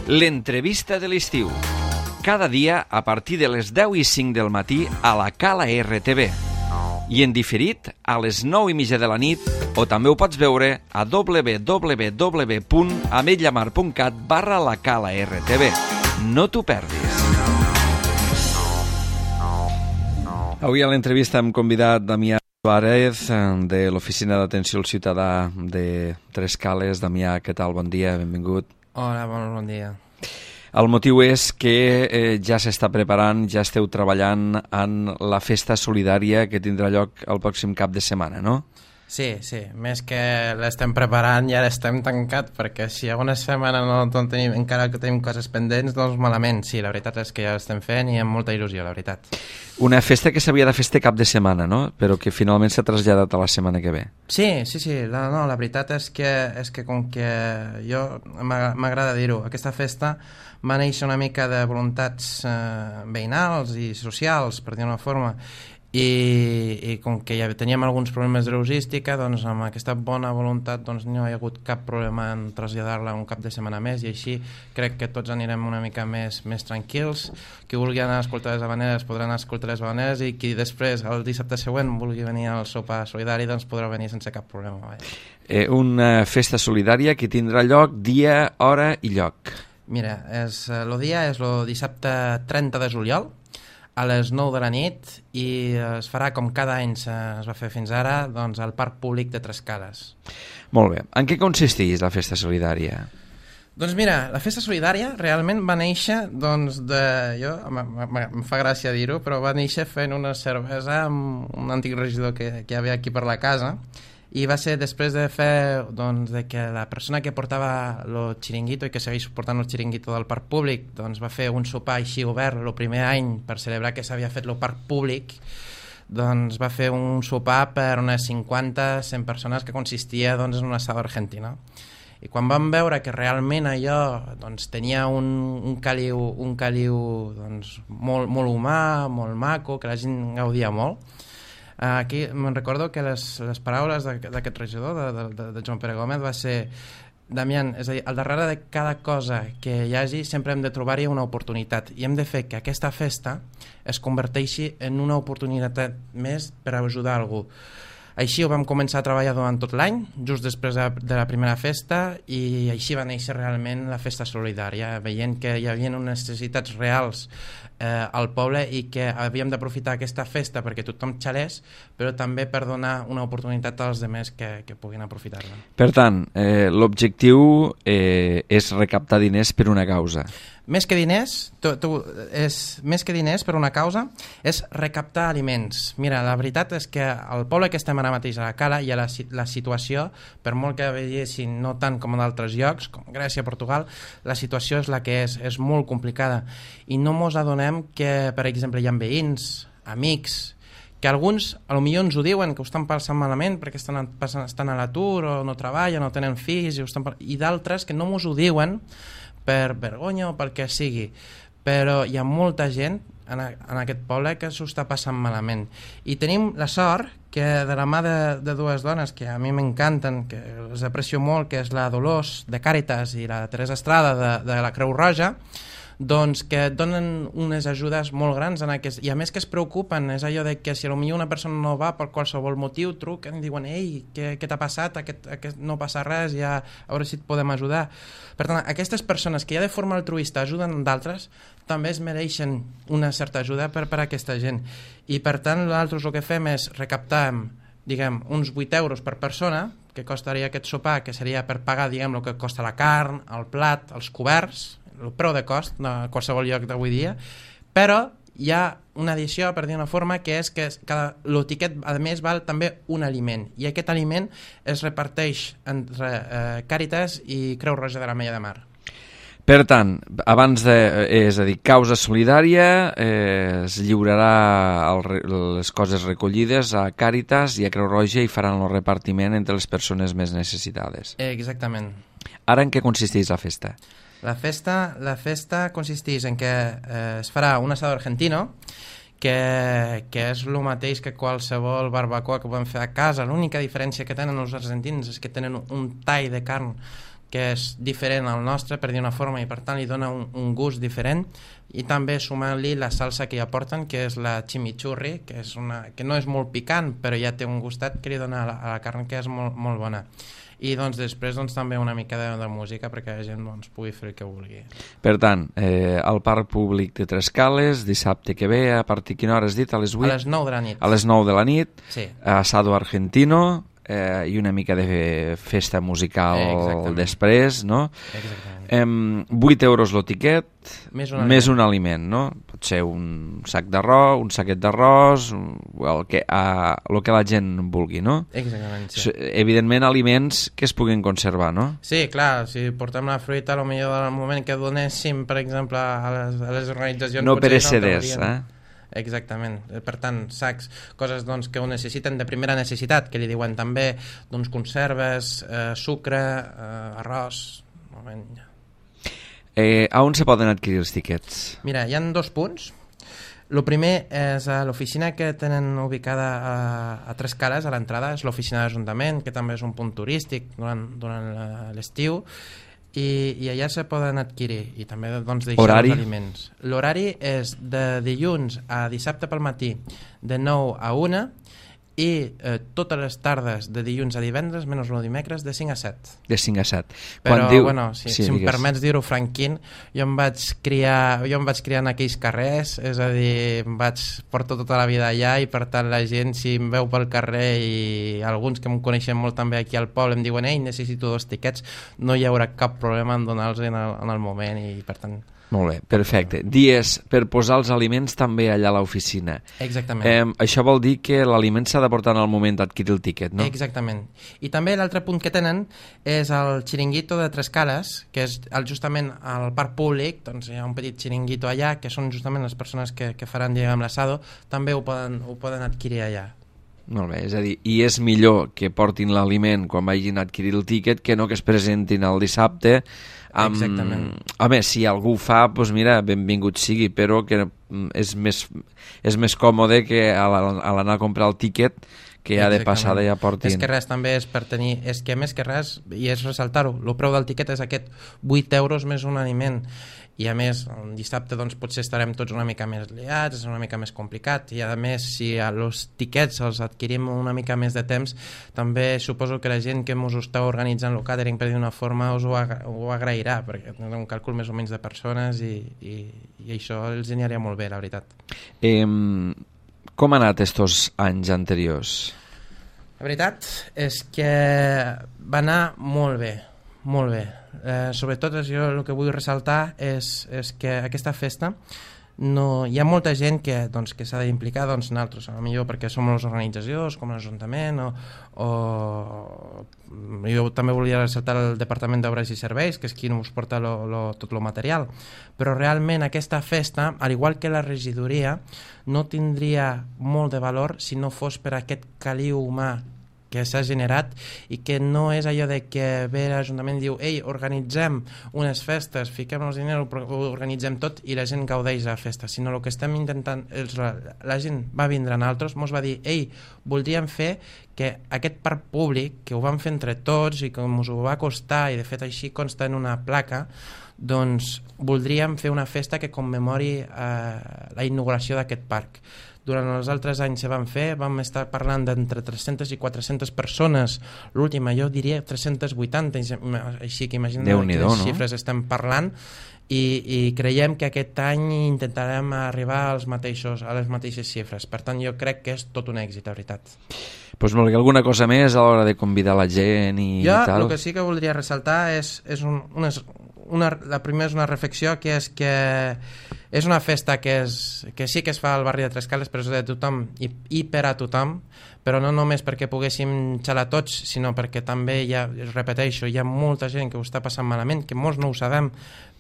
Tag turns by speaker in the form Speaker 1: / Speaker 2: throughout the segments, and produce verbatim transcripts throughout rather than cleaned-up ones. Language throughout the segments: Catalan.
Speaker 1: L'entrevista de l'estiu. Cada dia a partir de les deu i cinc del matí a la Cala R T V. I en diferit a les nou i mitja de la nit, o també ho pots veure a w w w punt ametlla mar punt cat barra la Cala R T V. No t'ho perdis. Avui a l'entrevista hem convidat Damià Suárez, de l'Oficina d'Atenció al Ciutadà de Tres Cales. Damià, què tal? Bon dia, benvingut.
Speaker 2: Hola, bon, bon dia.
Speaker 1: El motiu és que eh, ja s'està preparant, ja esteu treballant en la festa solidària que tindrà lloc el pròxim cap de setmana, no?
Speaker 2: Sí, sí, més que l'estem preparant i ara estem tancat, perquè si alguna setmana no, no tenim, encara que tenim coses pendents, doncs malament. Sí, la veritat és que ja l'estem fent i amb molta il·lusió, la veritat.
Speaker 1: Una festa que s'havia de fer este cap de setmana, no? Però que finalment s'ha traslladat a la setmana que ve.
Speaker 2: Sí, sí, sí, la, no, la veritat és que, és que com que jo m'agrada dir-ho, aquesta festa va néixer una mica de voluntats eh, veïnals i socials, per dir una forma, i, i com que ja teníem alguns problemes de logística, doncs amb aquesta bona voluntat doncs no hi ha hagut cap problema en traslladar-la un cap de setmana més, i així crec que tots anirem una mica més, més tranquils. Qui vulgui anar a escoltar les havaneres podrà anar a escoltar les havaneres, i qui després el dissabte següent vulgui venir al sopar solidari doncs podrà venir sense cap problema.
Speaker 1: Eh, una festa solidària que tindrà lloc dia, hora i lloc. Mira,
Speaker 2: és, el dia és el dissabte trenta de juliol a les nou de la nit, i es farà com cada any es va fer fins ara, doncs al Parc Públic de Tres Cales.
Speaker 1: Molt bé. En què consisteix la festa solidària?
Speaker 2: Doncs mira, la festa solidària realment va néixer, doncs, de... jo, em fa gràcia dir-ho, però va néixer fent una cervesa amb un antic regidor que, que hi havia aquí per la casa, i va ser després de fer, doncs, de que la persona que portava el xiringuito i que segueix portant el xiringuito del parc públic, doncs va fer un sopar així obert el primer any per celebrar que s'havia fet el parc públic, doncs va fer un sopar per unes cinquanta a cent persones que consistia, doncs, en un asado argentino. I quan vam veure que realment allò, doncs, tenia un, un caliu, un caliu doncs, molt, molt humà, molt maco, que la gent gaudia molt. Aquí me'n recordo que les, les paraules d'aquest regidor, de, de, de Joan Pere Gómez, va ser: Damián, és a dir, al darrere de cada cosa que hi hagi sempre hem de trobar-hi una oportunitat, i hem de fer que aquesta festa es converteixi en una oportunitat més per ajudar algú. Així ho vam començar a treballar durant tot l'any, just després de, de la primera festa, i així va néixer realment la festa solidària, veient que hi havia unes necessitats reals eh, al poble i que havíem d'aprofitar aquesta festa perquè tothom xalés, però també per donar una oportunitat als altres que, que puguin aprofitar-la.
Speaker 1: Per tant, eh, l'objectiu eh, és recaptar diners per una causa.
Speaker 2: Més que diners, tu, tu, és, més que diners per una causa, és recaptar aliments. Mira, la veritat és que al poble que estem ara mateix a la Cala hi ha la, la situació, per molt que veiessin no tant com en altres llocs, com Grècia, Portugal, la situació és la que és, és molt complicada. I no mos adonem que, per exemple, hi ha veïns, amics, que alguns potser ens ho diuen, que ho estan passant malament perquè estan, estan a l'atur o no treballen o tenen fills, i, estan, i d'altres que no mos ho diuen per vergonya o pel que sigui, però hi ha molta gent en, a, en aquest poble que s'ho està passant malament, i tenim la sort que de la mà de, de dues dones que a mi m'encanten, que les aprecio molt, que és la Dolors de Càritas i la Teresa Estrada de, de la Creu Roja, doncs que donen unes ajudes molt grans en aquest, i a més que es preocupen. És allò de que si potser una persona no va per qualsevol motiu, truquen i diuen: ei, què, què t'ha passat? Aquest, aquest, no passa res, ja, a veure si et podem ajudar. Per tant, aquestes persones que ja de forma altruista ajuden d'altres també es mereixen una certa ajuda per, per a aquesta gent, i per tant nosaltres el que fem és recaptar, diguem, uns vuit euros per persona que costaria aquest sopar, que seria per pagar, diguem, el que costa la carn, el plat, els coberts, el preu de cost de qualsevol lloc d'avui dia, però hi ha una addició, per dir una forma, que és que cada, el tiquet a més val també un aliment, i aquest aliment es reparteix entre eh, Càritas i Creu Roja de l'Ametlla de Mar.
Speaker 1: Per tant, abans de, és a dir, causa solidària, eh, es lliurarà el, les coses recollides a Càritas i a Creu Roja i faran el repartiment entre les persones més necessitades.
Speaker 2: Eh, exactament.
Speaker 1: Ara en què consisteix la festa?
Speaker 2: La festa, la festa consisteix en que eh, es farà un asado argentino, que, que és el mateix que qualsevol barbacoa que podem fer a casa. L'única diferència que tenen els argentins és que tenen un tall de carn que és diferent al nostre, per dir una forma, i per tant li dona un, un gust diferent, i també sumant-li la salsa que ja porten, que és la chimichurri, que, és una, que no és molt picant, però ja té un gustat que li dona a la, a la carn, que és molt, molt bona. I doncs després doncs, també una mica de, de música perquè la gent doncs, pugui fer el que vulgui.
Speaker 1: Per tant, eh, al Parc Públic de Trescales, dissabte que ve, a partir de quina hora has dit? A les vuit?
Speaker 2: A les nou de la nit.
Speaker 1: A les nou de la nit,
Speaker 2: sí.
Speaker 1: Asado argentino, eh, i una mica de festa musical eh, després, no?
Speaker 2: Exactament.
Speaker 1: Eh, vuit euros el tiquet,
Speaker 2: més un,
Speaker 1: més un aliment, no? Pot ser un sac d'arròs, un saquet d'arròs, el, que, a, el que la gent vulgui, no?
Speaker 2: Exactament, sí.
Speaker 1: Evidentment, aliments que es puguin conservar, no?
Speaker 2: Sí, clar, si portem la fruita, al millor del moment que donéssim, per exemple, a les, a les organitzacions...
Speaker 1: No pereceders, eh?
Speaker 2: Exactament, per tant, sacs, coses doncs, que ho necessiten de primera necessitat, que li diuen també doncs, conserves, eh, sucre, eh, arròs... Moment.
Speaker 1: Eh, a on se poden adquirir els tiquets?
Speaker 2: Mira, hi ha dos punts. El primer és a l'oficina que tenen ubicada a, a Trescales, a l'entrada, és l'oficina d'Ajuntament, que també és un punt turístic durant, durant l'estiu, i, i allà se poden adquirir i també doncs, deixar
Speaker 1: Horari?
Speaker 2: els aliments. L'horari és de dilluns a dissabte pel matí de nou a una i eh, totes les tardes de dilluns a divendres menys el dimecres de cinc a set.
Speaker 1: De cinc a set.
Speaker 2: Però,
Speaker 1: Quan diu...
Speaker 2: bueno, si,
Speaker 1: sí,
Speaker 2: si em
Speaker 1: digues.
Speaker 2: permets dir-ho franquint, jo em vaig criar jo em vaig criar en aquells carrers, és a dir, em vaig portar tota la vida allà i per tant la gent, si em veu pel carrer i alguns que em coneixen molt també aquí al poble em diuen, ei, necessito dos tiquets, no hi haurà cap problema en donar-los en, el, en el moment i per tant...
Speaker 1: Molt bé, perfecte. Dies per posar els aliments també allà a l'oficina.
Speaker 2: Exactament.
Speaker 1: Eh, això vol dir que l'aliment s'ha de portar en el moment d'adquirir el tiquet, no?
Speaker 2: Exactament. I també l'altre punt que tenen és el xiringuito de Trescales, que és el, justament al parc públic, doncs hi ha un petit xiringuito allà, que són justament les persones que, que faran diguem l'assado, també ho poden, ho poden adquirir allà.
Speaker 1: Molt bé, és a dir, i és millor que portin l'aliment quan vagin a adquirir el tiquet que no que es presentin el dissabte amb...
Speaker 2: Exactament.
Speaker 1: Home, si algú ho fa, doncs mira, benvingut sigui, però que és més, és més còmode que a l'anar a comprar el tiquet que ja de passada ja portin...
Speaker 2: És que res també és per tenir... És que més que res, i és ressaltar-ho, el preu del tiquet és aquest vuit euros més un aliment. I a més, el dissabte doncs, potser estarem tots una mica més liats, és una mica més complicat, i a més, si els tiquets els adquirim una mica més de temps, també suposo que la gent que ens està organitzant el catering per d'una forma us ho, agra ho agrairà, perquè és un càlcul més o menys de persones i, i, i això els aniria molt bé, la veritat.
Speaker 1: Eh, com han anat estos anys anteriors?
Speaker 2: La veritat és que va anar molt bé, molt bé. Eh, sobretot jo el que vull ressaltar és, és que aquesta festa no, hi ha molta gent que, doncs, que s'ha d'implicar, doncs nosaltres, potser perquè som les organitzacions com l'Ajuntament o, o jo també volia ressaltar el Departament d'Obres i Serveis, que és qui ens porta lo, lo, tot el material, però realment aquesta festa, al igual que la regidoria, no tindria molt de valor si no fos per aquest caliu humà que s'ha generat i que no és allò de que ve l'Ajuntament i diu ei, organitzem unes festes, fiquem els diners, ho organitzem tot i la gent gaudeix de la festa, sinó el que estem intentant és la, la gent va vindre a nosaltres, mos va dir ei, voldríem fer que aquest parc públic, que ho vam fer entre tots i que ens ho va costar i de fet així consta en una placa, doncs voldríem fer una festa que commemori eh, la inauguració d'aquest parc. Durant els altres anys se van fer, vam estar parlant d'entre tres-centes i quatre-centes persones, l'última jo diria tres-centes vuitanta, així que imagina't quines
Speaker 1: no?
Speaker 2: xifres estem parlant, i, i creiem que aquest any intentarem arribar als mateixos, a les mateixes xifres, per tant jo crec que és tot un èxit, la veritat.
Speaker 1: Pues molt bé, alguna cosa més a l'hora de convidar la gent i
Speaker 2: jo,
Speaker 1: tal?
Speaker 2: Jo el que sí que voldria ressaltar és, és un, unes, una, la primera és una reflexió que és que és una festa que, és, que sí que es fa al barri de Trescales, però és de tothom i, i per a tothom, però no només perquè poguéssim xalar tots, sinó perquè també, ja repeteixo, hi ha molta gent que ho està passant malament, que molts no ho sabem,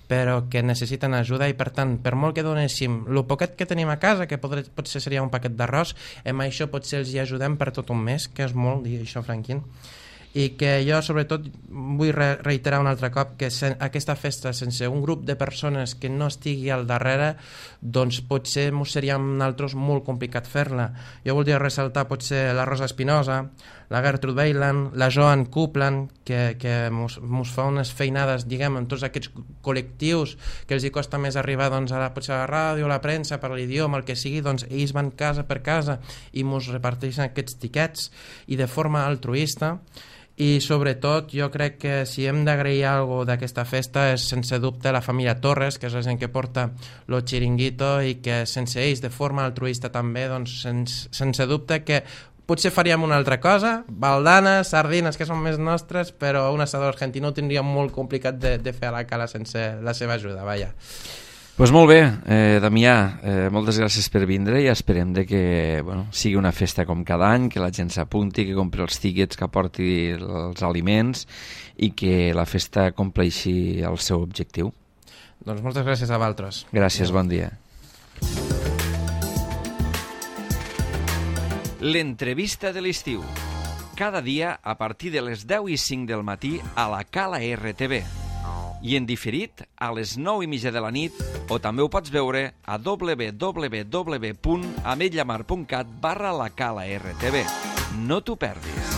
Speaker 2: però que necessiten ajuda i per tant, per molt que donéssim el poquet que tenim a casa, que podré, potser seria un paquet d'arròs, amb això potser els hi ajudem per tot un mes, que és molt, dir això franquint, i que jo sobretot vull re reiterar un altre cop que sen aquesta festa sense un grup de persones que no estigui al darrere doncs potser seria amb nosaltres molt complicat fer-la. Jo voldria ressaltar potser la Rosa Espinosa, la Gertrude Weiland, la Joan Coupland, que, que mos, mos fa unes feinades, diguem, en tots aquests col·lectius que els hi costa més arribar doncs, a la, potser a la ràdio, a la premsa, per l'idioma, el que sigui, doncs ells van casa per casa i mos reparteixen aquests tiquets i de forma altruista. I sobretot jo crec que si hem d'agrair alguna cosa d'aquesta festa és sense dubte la família Torres, que és la gent que porta lo chiringuito i que sense ells de forma altruista també, doncs sense, sense dubte que potser faríem una altra cosa, baldanes, sardines que són més nostres, però un assador argentí ho tindríem molt complicat de, de fer a la cala sense la seva ajuda, vaja.
Speaker 1: Pues molt bé, eh, Damià, eh, moltes gràcies per vindre i esperem de que bueno, sigui una festa com cada any, que la gent s'apunti, que compri els tíquets, que aporti els aliments i que la festa compleixi el seu objectiu.
Speaker 2: Doncs moltes gràcies a vosaltres.
Speaker 1: Gràcies, bon dia. L'entrevista de l'estiu. Cada dia a partir de les deu i cinc del matí a la Cala R T V. I en diferit a les nou i mitja de la nit o també ho pots veure a w w w punt ametlla mar punt cat barra la cala R T V. No t'ho perdis.